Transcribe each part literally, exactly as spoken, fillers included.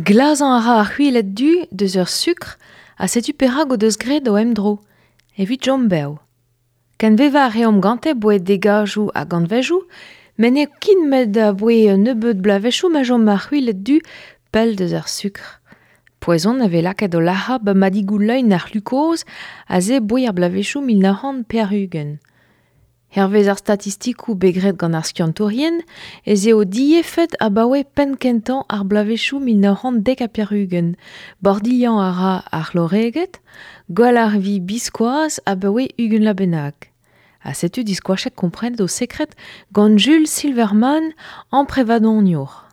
Glazañ a ra ar c'hwiled du deus ur sukr ha setu perak o deus graet o emdro, evit chom bev. Kenvevañ a reomp gante boe degajoù hag anvezioù, met n'eo ket met aboe un nebeud bloavezhioù ma chom ar c'hwiled du pell deus ar sukr. Poezon a vez lakaet o lac'hañ ba madigoù leun ar c'hlukoz a se boe ar bloavezhioù mil nav c'hant pevar-ugent. Hervez ar statistikoù bet graet gant ar skiantourien ez eo diefed abaoe penn-kentañ ar bloavezhioù mil nav c'hant dek ha pevar-ugent. Bordilhañ a ra ar c'hloreged, gwall ar vi biskoazh abaoe ugent vloaz bennak. Ha setu diskoachet komprenet o sekred gant Jules Silverman amprevadoniour.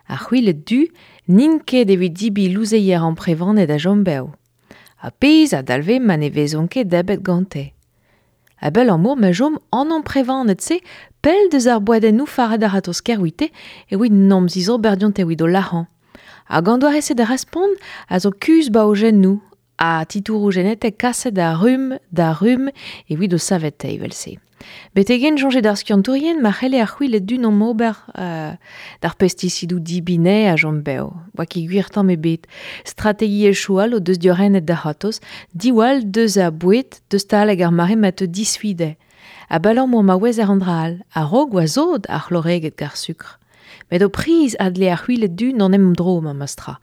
Ar c'hwiled du n'int ket evit debriñ louzeier amprevaned a chom bev. Ha pezh a dalvez ma ne vezont ket debret gante. Abalamour ma chom an amprevaned-se pell deus ar boadennoù faret ar ratozh-kaer ouite evit n'am zizober dionte evit o lac'hañ. Hag an doare-se da respont a zo kuzh baojennoù ha titouroù genetek kaset da rumm da rumm evit o saveteiñ evel-se. Betek-henn soñjet ar skiantourien ma c'helle ar c'hwiled du n'am ober euh, d'ar pestisidoù dibinais a chom bev. Oa ket gwir tamm ebet. Strategiezhioù all o deus diorrenet da c'hortoz, diwall deus ar boued, deus taleg ar mare ma teu disfide. Abalamour ma ouezer an dra all, a-raok oa sot ar c'hloreged gant ar sukr. Met o priz a dle ar c'hwiled du n'en em dro memestra.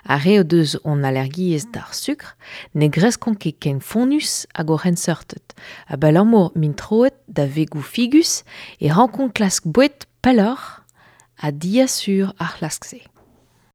Ar re o deus hon allergiezh d'ar sukr ne greskont ket ken fonnus hag o c'henseurted. Abalamour m'int troet da vegoù figus e rankont klask boued pelloc'h ha diasur ar c'hlask-se.